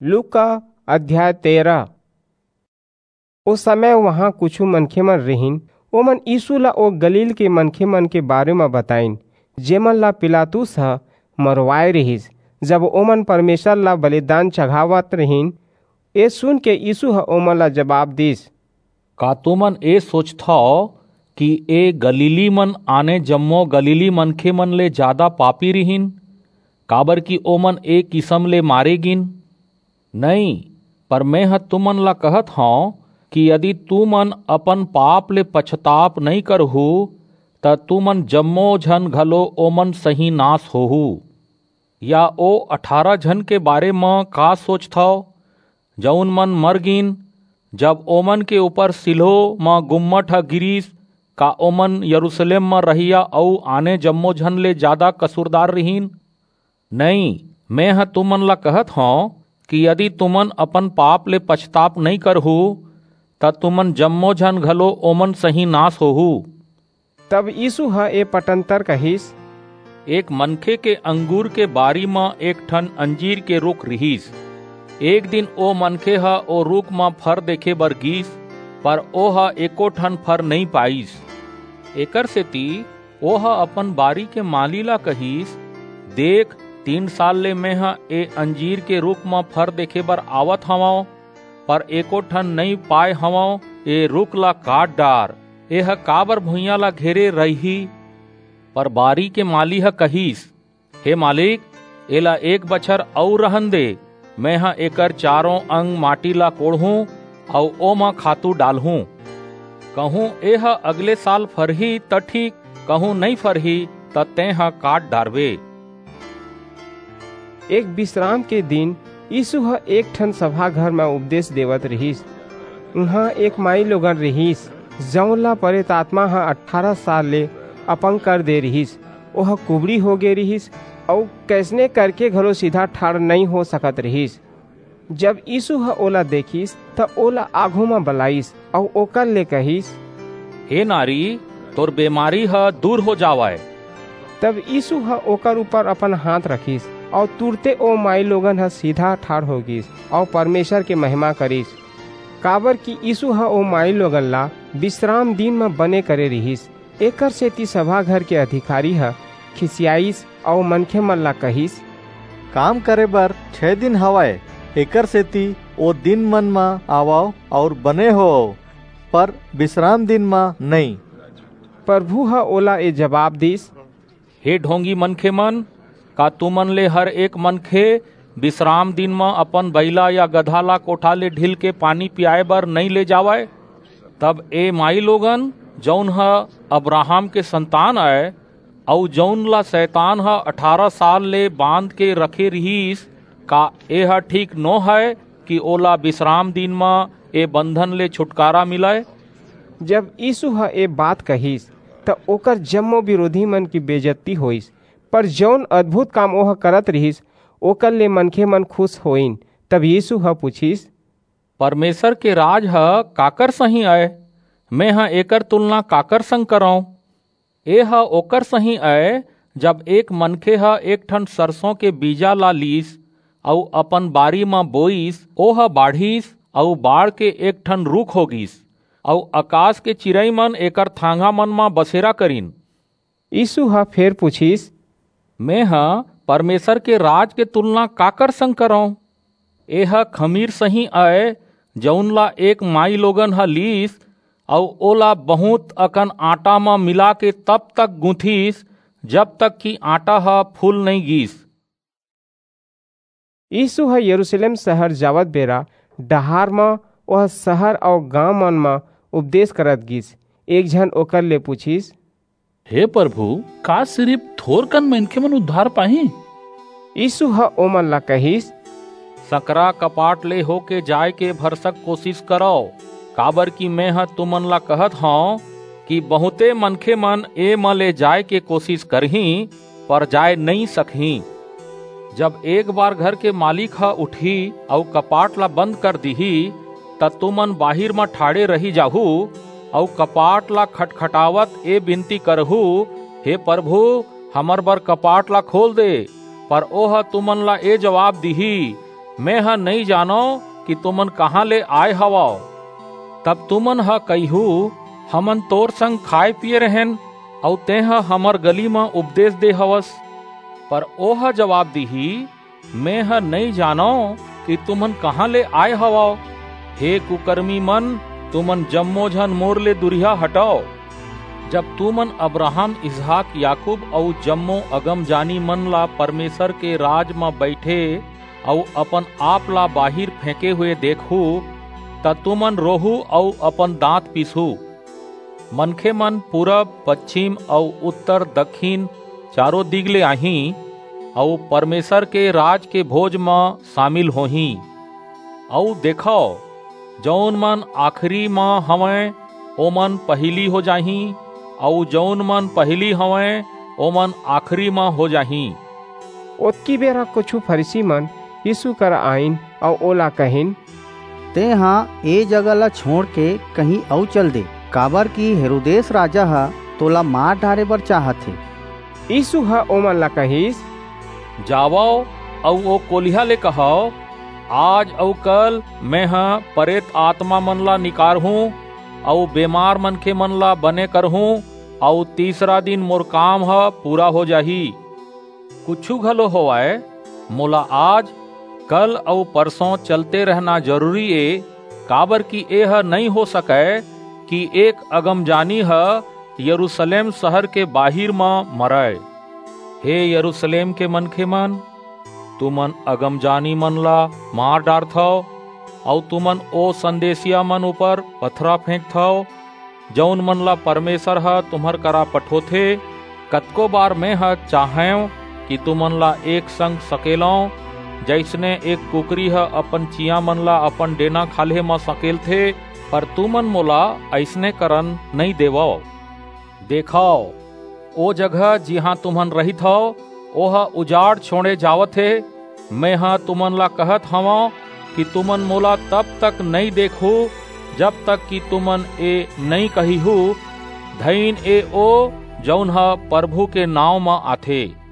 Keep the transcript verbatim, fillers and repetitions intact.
लूका अध्याय तेरह। ओ समय वहां कुछु मनखे मन रिहिन, ओमन यीशु ला ओ गलील के मनखे मन के बारे म बताइन, जेमन ला पिलातुस ह मरवाए रिहिस, जब ओमन परमेसर ला बलिदान चघावत रिहिन। ए सुन के यीशु ह ओमन ला जबाब दीस, का तुमन ए सोचथव कि ए गलीली मन आने जम्मो गलीली मनखे मन ले जादा पापी रिहिन, काबर कि ओमन ए किसम ले मारे गिन? नइं, पर मेंह तुमन ला कहत हंव कि यदि तुमन अपन पाप ले पछताप नइं करहू, त तुमन जम्मो झन घलो ओमन सहीं नास होहू। या ओ अठारह झन के बारे म का सोचथव, जऊन मन मर गीन, जब ओमन के ऊपर सिल्हो म गुम्मट ह गिरिस, का ओमन यरूसलेम म रहइया अऊ आने जम्मो झन ले जादा कसूरदार रिहिन? नइं, मेंह तुमन ला कहत हंव कि यदि तुमन अपन पाप ले पछताप नइं करहू, त तुमन जम्मो झन घलो ओमन सहीं नास होहू। तब यीसू ह ए पटंतर कहिस, एक मनखे के अंगूर के बारी म एक ठन अंजीर के रूख रिहिस। एक दिन ओ मनखे ह ओ रूख म फर देखे बर गीस, पर ओह एको ठन फर नइं पाईस। एकरसेति ओह अपन बारी के माली ला कहिस, देख, तीन साल ले मेंह ए अंजीर के रूख म फर देखे बर आवत हवंव, पर एको ठन नइं पाय हवंव, ए रूख ला काट डार, एह काबर भुइयां ला घेरे रहिही? पर बारी के माली ह कहिस, हे मालिक, एला एक बछर अऊ रहन दे, मेंह एकर चारों अंग माटी ला कोड़हूं अऊ ओमा खातू डालहूं। कहूं एह अगले साल फरही, त ठीक, कहूं नइं फरही, त तेंह काट डारबे। एक बिसराम के दिन यीसू ह एक ठन सभा घर म उपदेस देवत रिहिस। उहां एक माईलोगन रिहिस, जऊन ला परेत आतमा ह अठारह साल ले अपंग कर दे रिहिस। ओह कुबड़ी होगे रिहिस अऊ कइसने करके घलो सीधा ठाढ़ नइं हो सकत रिहिस। जब यीसू ह ओला देखिस, त ओला आघू म बलाईस अऊ ओकर ले कहिस, हे नारी, तोर बेमारी ह दूर हो जावय। तब यीसू ह ओकर ऊपर अपन हांथ रखिस, अऊ तुरते ओ माईलोगन ह सीधा ठाढ़ हो गीस, अऊ परमेसर के महिमा करिस, काबरकि यीसू ह ओ माईलोगन ला बिसराम दिन म बने करे रिहिस। एकरसेति सभा घर के अधिकारी ह खिसियाईस अऊ मनखेमन ला कहिस, काम करे बर छै दिन हवय, एकरसेति ओ दिनमन म आवव अऊ बने होवव, पर बिसराम दिन म नइं। परभू ह ओला ए जबाब दीस, हे ढोंगी मनखेमन, का तुमन ले हर एक मनखे बिसराम दिन म अपन बईला या गधा ला कोठा ले ढिल के पानी पियाय बर नइं ले जावय? तब ए माईलोगन, जऊन ह अब्राहम के संतान अय, अऊ जऊन ला सैतान ह अठारह साल ले बांध के रखे रिहिस, का एह ठीक नो हय कि ओला बिसराम दिन म ए बंधन ले छुटकारा मिलय? जब यीसू ह ए बात कहिस, त ओकर जम्मो बिरोधीमन के बेजत्ती होईस, पर जऊन अद्भुत काम ओह करत रिहिस, ओकर ले मनखेमन खुस होईन। तब यीसू ह पुछिस, परमेसर के राज ह काकर सहीं अय? मेंह एकर तुलना काकर संग करंव? एह ओकर सहीं अय, जब एक मनखे ह एक ठन सरसों के बीजा ला लीस अऊ अपन बारी म बोईस, ओह बाढ़िस अऊ बाढ़ के एक ठन रूख हो गीस, अऊ अकास के चिरईमन एकर थांघामन म बसेरा करिन। यीसू ह फेर पुछिस, मेंह परमेसर के राज के तुलना काकर संग करंव? एह खमीर सहीं अय, जऊन ला एक माईलोगन ह लीस अऊ ओला बहुंत अकन आटा म मिलाके तब तक गूंथिस, जब तक कि आटा ह फूल नइं गीस। यीसू ह यरूसलेम सहर जावत बेरा डहार म ओह सहर अऊ गांवमन म उपदेस करत गीस। एक झन ओकर ले पुछिस, हे परभू, का सिरिप थोरकन मनखेमन उद्धार पाहीं? यीसू ह ओमन ला कहिस, संकरा कपाट ले होके जाय के भरसक कोसिस करव, काबरकि मेंह तुमन ला कहत हंव कि बहुंते मनखेमन ए म ले जाय के कोसिस करहीं, पर जाय नइं सकहीं। जब एक बार घर के मालिक ह उठही अऊ कपाट ला बंद कर दिही, त तुमन बाहिर म ठाढ़े रहि जाहू अऊ कपाट ला खटखटावत ए बिनती करहू, हे परभू, हमर बर कपाट ला खोल दे। पर ओह तुमन ला ए जबाब दिही, मेंह नइं जानंव कि तुमन कहां ले आय हवव।" तब तुमन ह कहिहू, "हमन तोर संग खाय-पीये रहेन, अऊ तेंह हमर गली म उपदेस दे हवस।" पर ओह जबाब दिही, "मेंह नइं जानंव कि तुमन कहां ले आय हवव। हे कुकरमीमन, तुमन जम्मो झन मोर ले दूरिहा हटव। जब तुमन अब्राहम, इसहाक, याकूब अऊ जम्मो अगमजानीमन ला परमेसर के राज म बईठे अऊ अपन-आप ला बाहिर फेंके हुए देखहू, त तुमन रोहू अऊ अपन दांत पीसहू। मनखेमन पूरब, पछिम अऊ उत्तर, दक्खिन चारों दिग ले आहीं, अऊ परमेसर के राज के भोज म सामिल होहीं। अऊ देखव, जऊन मन आखिरी म हवंय, ओमन पहिली हो जाहीं, अऊ जऊन मन पहिली हवंय, ओमन आखिरी म हो जाहीं।" ओतकी बेरा कुछू फरीसीमन यीसू करा आईन अऊ ओला कहिन, "तेंह ए जगह ला छोंड़के कहीं अऊ चल दे, काबरकि हेरोदेस राजा ह तोला मार डारे बर चाहत हे।" यीसू ह ओमन ला कहिस, "जावव अऊ ओ कोलिहा ले कहव, 'आज अऊ कल मेंह परेत आतमामन ला निकारहूं अऊ बेमार मनखेमन ला बने करहूं, अऊ तीसरा दिन मोर काम ह पूरा हो जाही।' कुछू घलो होवय, मोला आज, कल अऊ परसों चलते रहना जरूरी ए, काबरकि एह नइं हो सकय कि एक अगमजानी ह यरूसलेम सहर के बाहिर म मरय। हे यरूसलेम के मनखेमन, तुमन अगमजानीमन ला मार डारथव, अऊ तुमन ओ संदेसियामन ऊपर पथरा फेंकथव, जऊन मन ला परमेसर ह तुम्हर करा पठोथे। कतको बार मेंह चाहेंव कि तुमन ला एक संग सकेलंव, जइसने एक कुकरी ह अपन चियांमन ला अपन डेना खाल्हे म सकेलथे, पर तुमन मोला अइसने करन नइं देवव। देखव, ओ जगह, जिहां तुमन रहिथव, ओह उजाड़ छोंड़े जावत हे। मेंह तुमन ला कहत हवंव कि तुमन मोला तब तक नइं देखहू, जब तक कि तुमन ए नइं कहिहू, 'धइन ए ओ, जऊन ह परभू के नांव म आथे।'"